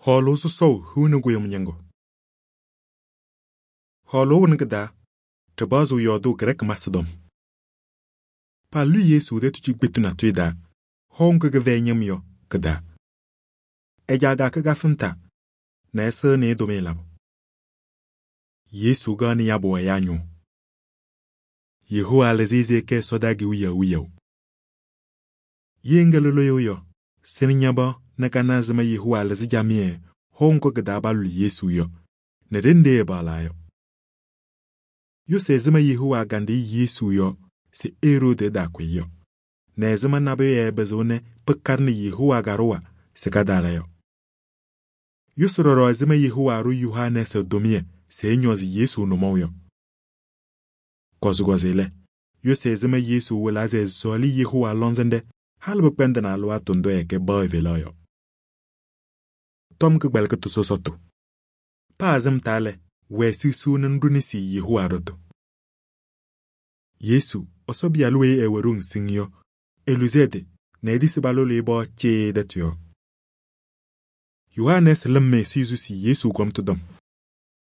Hɔɔlʋʋ sɔsɔʋ hiu nɛ kʋyʋm ñɩŋgʋ. Hɔɔlʋʋ wɩnɩ kɩ-taa ɖɩpaɣzɩɣ yɔɔdʋʋ Grɛɛkɩ masɩ tɔm. Palʋlɩ Yesu tɛtʋ cikpetu natʋyʋ taa, hɔʋ ŋgʋ kɩfɛyɩ ñɩm yɔ kɩ-taa. Ɛ-caa kakɩ kafɩnta nɛ ɛsɩɣnɩ-ɩ tʋmɩyɛ labʋ. Yesu kaɣnɩ yabʋ ɛyaa ñʋʋ. Yehowa lɩzɩ ɛzɩ ɛkɛ ɛsɔdaa kewiyaɣ wiyaʋ. Ye ŋkɛ lʋlʋʋ yɔ, sɩnɩ ña-pɩɣa nɛ kana ɛzɩma Yehowa lɩzɩ camɩyɛ hɔʋ ŋgʋ kɩ-taa palʋlɩ Yesu yɔ nɛ ɖenɖe ɛpaɣlaa yɔ. Yʋsɩ ɛzɩma Yehowa kandɩ Yesu yɔ se Eroodi ɛtaakʋ-ɩ yɔ, nɛ ɛzɩma nabʋyʋ ɛɛpɩzɩɣ nɛ pɩkaɖɩnɩ Yehowa kaɖʋwa se kataala yɔ. Yʋsɩ ɖɔɖɔ ɛzɩma Yehowa ɖʋ Yohanɛɛsɩ tʋmɩyɛ se ɛñɔɔzɩ Yesu nʋmɔʋ yɔ. Kɔzɩkɔzɩ lɛ, yʋsɩ ɛzɩma Yesu wɩlaa se ɛsɔɔlɩ Yehowa lɔŋsɩnɖɛ halɩ pɩkpɛndɩnɩ alɩwaatʋ ndʋ ɛkɛ baɣ evelaɣ yɔ. Tɔm kɩkpɛlɩkɩtʋ sɔsɔtʋ. Paa sɩm taa lɛ, wɛɛ susuu nɛ ŋɖʋ nesi Yehowa ɖʋtʋ. Yesu, Ɛsɔ Pɩyalʋ weyi ɛwɛ ɖoŋ siŋŋ yɔ, eluzi ɛ-tɩ nɛ etisi palʋlɩ-ɩ pɔɔ cɩɩ tɛtʋ yɔɔ. Yohanɛɛsɩ lɩm ɛzɩ esusi Yesu kɔmtʋ tɔm.